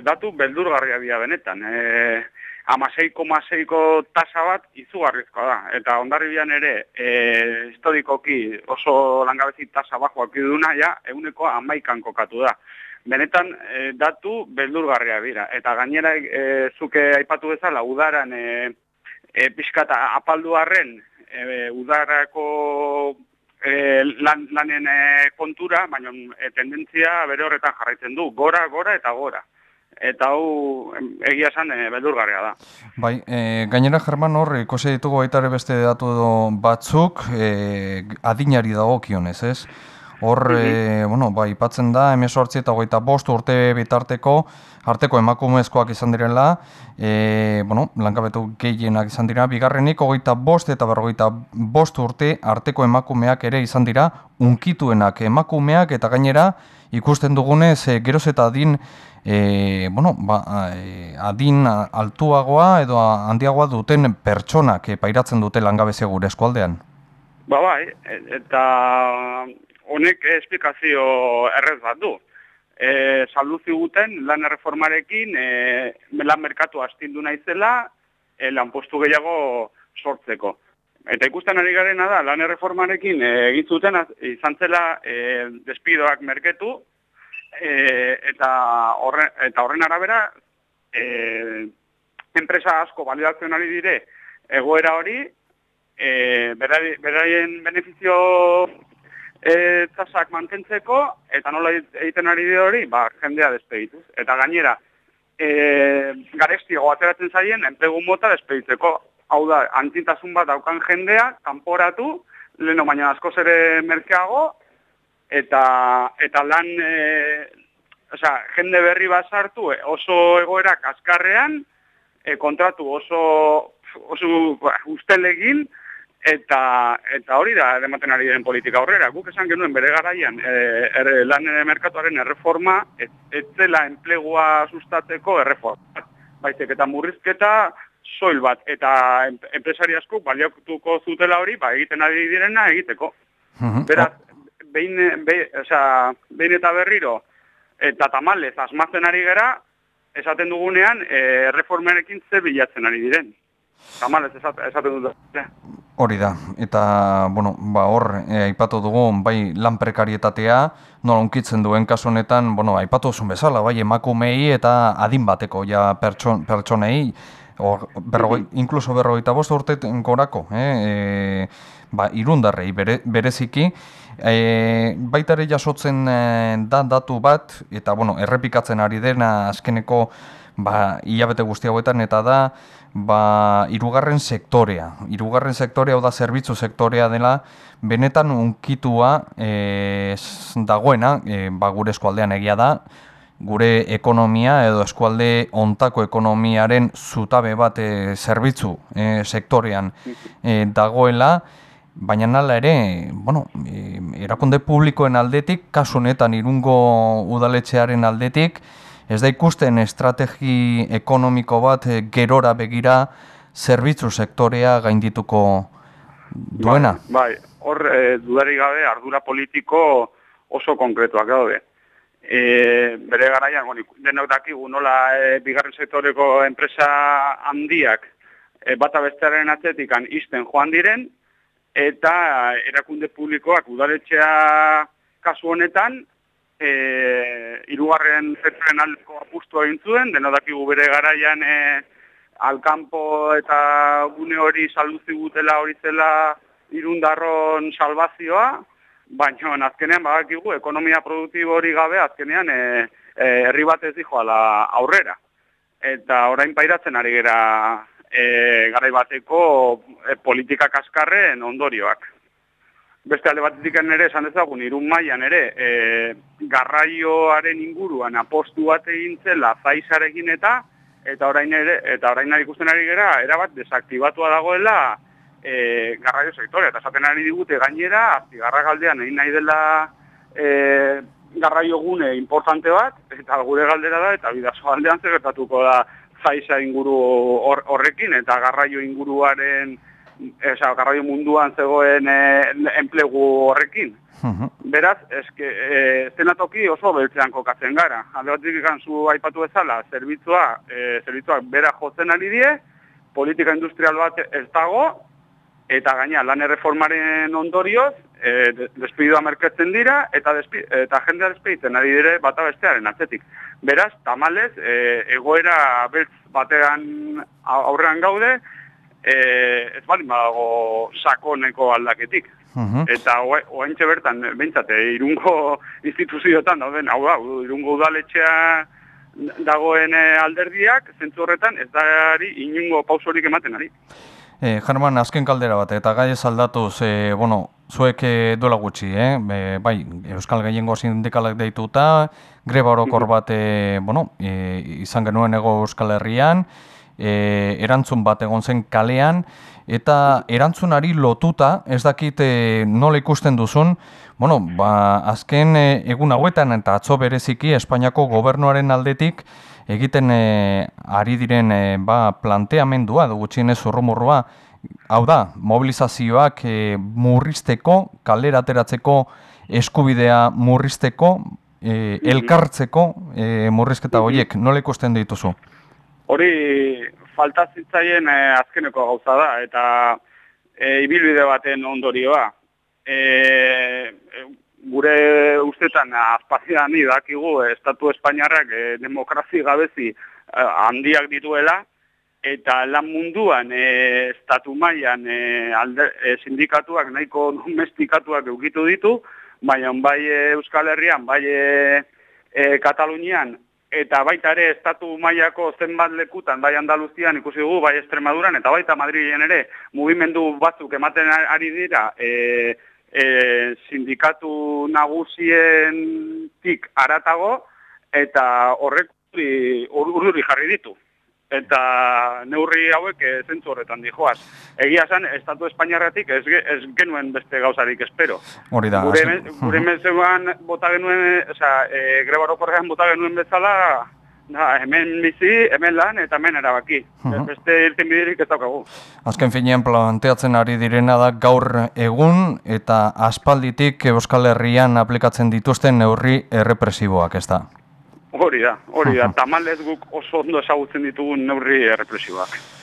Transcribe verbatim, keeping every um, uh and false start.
datu beldurgarria dira benetan. E, amasei koma seiko tasa bat izugarrizkoa da. Eta Hondarribian ere, e, historikoki oso langabezi tasa bajoak iduna, ja, eguneko amaikan kokatu da. Benetan, e, datu beldurgarria dira. Eta gainera, e, zuke aipatu bezala, udaran e, e, pixkata apaldu arren, e, udarako e, lan, lanen e, kontura, baina e, tendentzia bere horretan jarraitzen du, gora, gora eta gora. Eta hau egia esan e, beldurgarria da. Bai, e, gainera German hor, ikusi ditugu baita ere beste datu batzuk, e, adinari dagokionez, ez? Hor, e, bueno, bai, ipatzen da, hemezortzi eta hogeita bost urte bitarteko, arteko emakumezkoak izan direla, e, bueno, langabetu gehienak izan dira, bigarrenik hogeita bost eta berrogeita bost urte arteko emakumeak ere izan dira, unkituenak emakumeak eta gainera ikusten dugunez, e, geroz eta adin, e, bueno, ba, e, adin altuagoa edo handiagoa duten pertsonak e, pairatzen dute langabezia gure eskualdean. Ba bai, eta honek esplikazio errez bat du. E, saldu ziguten lan erreformarekin e, lan merkatu astindu naizela e, lanpostu gehiago sortzeko. Eta ikusten ari garena da, lan erreformarekin e, egin zuten izan zela e, despidoak merketu e, eta, horre, eta horren arabera e, enpresa asko balidatzen ari dire egoera hori e, beraien benefizio E, tasak mantentzeko, eta nola egiten ari di hori, ba, jendea despedituz. Eta gainera, e, garestiago ateratzen zaien, enplegu mota despeditzeko. Hau da, antitasun bat daukan jendea, kanporatu, leheno baina askoz ere merkeago, eta, eta lan, e, osea, jende berri bat sartu, oso egoerak azkarrean, e, kontratu oso, oso ba, ustelegin, Eta, eta hori da ematen ari den politika aurrera. Guk esan genuen bere garaian e, er, lan merkatuaren erreforma ez, ez zela enplegua sustatzeko erreforma. Baizik eta murrizketa soil bat eta enpresari asko baliatuko zutela hori ba, egiten ari direna egiteko. Beraz, behin, be, oza, behin eta berriro eta tamalez asmatzen ari gera, esaten dugunean e, erreformarekin ze bilatzen ari diren. Tamalez esaten, esaten dut. Hori da, eta, bueno, ba, hor, e, aipatu dugu, bai, lan prekarietatea, nola unkitzen duen kasu honetan, bueno, aipatu duzun bezala, bai, emakumei eta adin bateko, ja, pertson, pertsonei, or, berrogei, inkluso berrogeita bost urte gorako, eh, e, ba, irundarrei bere, bereziki, e, baitare jasotzen e, da datu bat, eta, bueno, errepikatzen ari dena azkeneko, ba, hilabete guzti hauetan, eta da, ba, hirugarren sektorea. Hirugarren sektorea, hau da, zerbitzu sektorea dela, benetan unkitua e, dagoena, e, ba, gure eskualdean egia da, gure ekonomia edo eskualde ontako ekonomiaren zutabe bat e, zerbitzu e, sektorean e, dagoela, baina nala ere, bueno, e, erakunde publikoen aldetik, kasu honetan Irungo udaletxearen aldetik, ez da ikusten estrategi ekonomiko bat gerora begira zerbitzu sektorea gaindituko duena? Bai, bai. Hor e, dudarik gabe ardura politiko oso konkretuak daude. E, bere garaian, bueno, denok dakigu nola e, bigarren sektoreko enpresa handiak e, bata bestearen atzetikan izten joan diren, eta erakunde publikoak udaletxea kasu honetan, E, hirugarren sektoren aldeko apustu egin zuen, deno dakigu bere garaian e, alkanpo eta gune hori saldu zigutela hori zela Irundarron salvazioa, baina azkenean badakigu ekonomia produktibo hori gabe azkenean e, e, herri bat ez dijoala aurrera. Eta orain pairatzen ari gera e, garai bateko e, politika kaskarren ondorioak. Beste alde batetik ere esan dezagun, Irun mailan ere e, garraioaren inguruan apostu bat egin zela Zaizarekin eta eta orain ere eta orain ikusten ari gera erabat desaktibatua dagoela e, garraio sektorea. Eta esaten ari digute gainera, Astigarragaldean egin nahi dela e, garraio gune importante bat, eta gure galdera da, eta Bidasoaldean zer gertatuko da Zaiza inguru hor, horrekin, eta garraio inguruaren esa, garraio munduan zegoen e, enplegu horrekin. Beraz, eske, e, zenatoki oso beltzean kokatzen gara. Alde batik ikan zu aipatu bezala, zerbitzua, e, zerbitzuak bera jotzen ari die, politika industrial bat ez dago, eta gaina lan erreformaren ondorioz, e, despidua merketzen dira, eta, despi, eta jendea despeditzen ari dire bata bestearen atzetik. Beraz, tamalez, e, egoera beltz batean aurrean gaude, e, ez bali badago sakoneko aldaketik. Uh-huh. Eta oaintxe bertan, behintzate, Irungo instituzioetan dauden, hau da, Irungo udaletxea dagoen alderdiak, zentzu horretan, ez dari inungo pausorik ematen ari. Eh, Jarman, azken kaldera bat, eta gai ez aldatuz, eh, bueno, zuek eh, duela gutxi, eh? Be, bai, Euskal Gehiengo Sindikalak deituta, greba orokor bat, eh, bueno, eh, izan genuen ego Euskal Herrian, eh, erantzun bat egon zen kalean, eta erantzunari lotuta, ez dakit eh, nola ikusten duzun, bueno, ba, azken eh, egun hauetan eta atzo bereziki Espainiako gobernuaren aldetik egiten eh, ari diren eh, ba, planteamendua, gutxienez urrumurrua, hau da, mobilizazioak eh, murrizteko, kalera ateratzeko eskubidea murrizteko, eh, elkartzeko eh, murrizketa horiek, nola ikusten dituzu? Hori falta zitzaien eh, azkeneko gauza da, eta eh, ibilbide baten ondorioa. E, gure ustetan azpazian dakigu Estatu Espainiarrak e, demokrazi gabezi e, handiak dituela, eta lan munduan e, estatu mailan e, alde, e, sindikatuak nahiko domestikatuak eukitu ditu, baina bai e, Euskal Herrian, bai e, e, Katalunian, eta baita ere estatu mailako zenbat lekutan, bai Andaluzian ikusi dugu, bai Extremaduran, eta baita Madrilen ere mugimendu batzuk ematen ari dira, e, E, sindikatu nagusienetik haratago, eta horrek urduri jarri ditu. Eta neurri hauek zentzu horretan dijoaz. Egia esan, Estatu Espainiarratik ez, ez genuen beste gauzarik espero. Hori da. Gure, gure mezuan bota genuen, oza, e, greba orokorrean bota genuen bezala, da, hemen bizi, hemen lan, eta hemen erabaki. Uh-huh. Beste irten bidirik ez daukagu. Azken finean planteatzen ari direna da gaur egun eta aspalditik Euskal Herrian aplikatzen dituzten neurri errepresiboak, ez da? Hori da, hori da. Uh-huh. Tamalez guk oso ondo ezagutzen ditugun neurri errepresiboak.